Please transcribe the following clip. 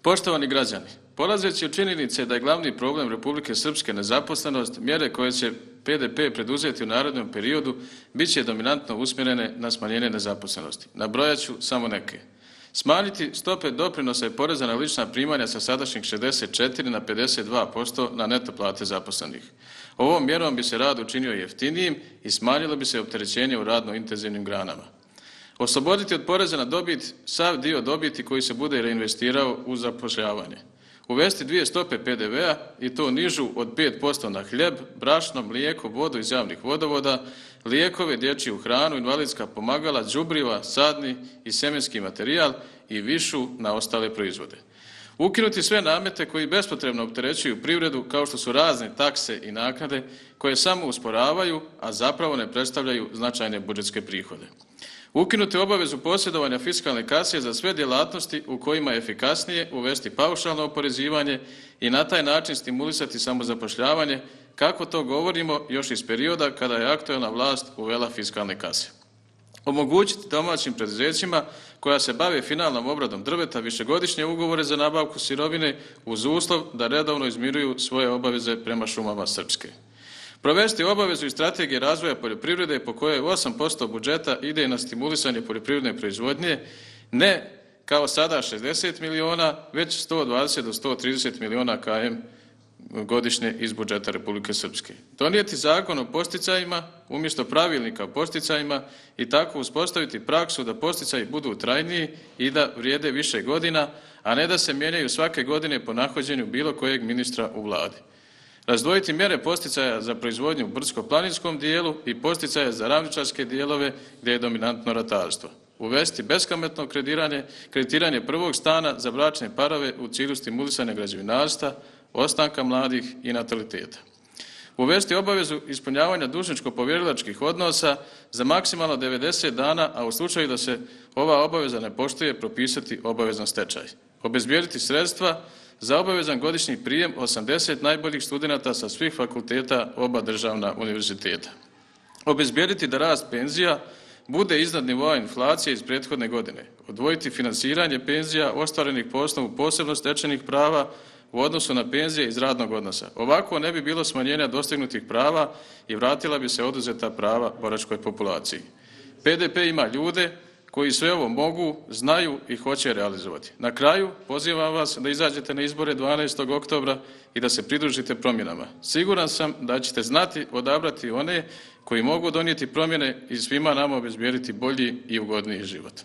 Poštovani građani, polazeći od činjenice da je glavni problem Republike Srpske nezaposlenost, mjere koje će PDP preduzeti u narednom periodu bit će dominantno usmjerene na smanjenje nezaposlenosti. Nabrojat ću samo neke. Smanjiti stope doprinosa i poreza na lična primanja sa sadašnjih 64 na 52% na neto plate zaposlenih. Ovom mjerom bi se rad učinio jeftinijim i smanjilo bi se opterećenje u radno intenzivnim granama. Osloboditi od poreza na dobit sav dio dobiti koji se bude reinvestirao u zapošljavanje. Uvesti dvije stope PDV-a i to nižu od 5% na hljeb, brašno, mlijeko, vodu iz javnih vodovoda, lijekove, dječju hranu, invalidska pomagala, đubriva, sadni i sjemenski materijal i višu na ostale proizvode. Ukinuti sve namete koji bespotrebno opterećuju privredu kao što su razne takse i naknade koje samo usporavaju, a zapravo ne predstavljaju značajne budžetske prihode. Ukinuti obavezu posjedovanja fiskalne kase za sve djelatnosti u kojima je efikasnije uvesti paušalno oporezivanje i na taj način stimulisati samozapošljavanje, kako to govorimo još iz perioda kada je aktuelna vlast uvela fiskalne kase. Omogućiti domaćim preduzećima koja se bave finalnom obradom drveta višegodišnje ugovore za nabavku sirovine uz uslov da redovno izmiruju svoje obaveze prema šumama Srpske. Provesti obavezu i strategije razvoja poljoprivrede po kojoj 8% budžeta ide na stimulisanje poljoprivredne proizvodnje, ne kao sada 60 miliona, već 120 do 130 miliona km godišnje iz budžeta Republike Srpske. Donijeti zakon o posticajima umjesto pravilnika o posticajima i tako uspostaviti praksu da posticaji budu trajniji i da vrijede više godina, a ne da se mijenjaju svake godine po nahođenju bilo kojeg ministra u vladi. Razdvojiti mjere posticaja za proizvodnju u brdsko-planinskom dijelu i posticaja za ravničarske dijelove gdje je dominantno ratarstvo. Uvesti beskamatno kreditiranje prvog stana za bračne parove u cilju stimulisanja građevinarstva, ostanka mladih i nataliteta. Uvesti obavezu ispunjavanja dužničko-povjerilačkih odnosa za maksimalno 90 dana, a u slučaju da se ova obaveza ne poštuje, propisati obavezan stečaj. Obezbijediti sredstva za obavezan godišnji prijem 80 najboljih studenata sa svih fakulteta oba državna univerziteta. Obezbijediti da rast penzija bude iznad nivoa inflacije iz prethodne godine. Odvojiti finansiranje penzija ostvarenih po osnovu posebno stečenih prava u odnosu na penzije iz radnog odnosa. Ovako ne bi bilo smanjenja dostignutih prava i vratila bi se oduzeta prava boračkoj populaciji. PDP ima ljude koji sve ovo mogu, znaju i hoće realizovati. Na kraju pozivam vas da izađete na izbore 12. oktobra i da se pridružite promjenama. Siguran sam da ćete znati odabrati one koji mogu donijeti promjene i svima nama obezbijediti bolji i ugodniji život.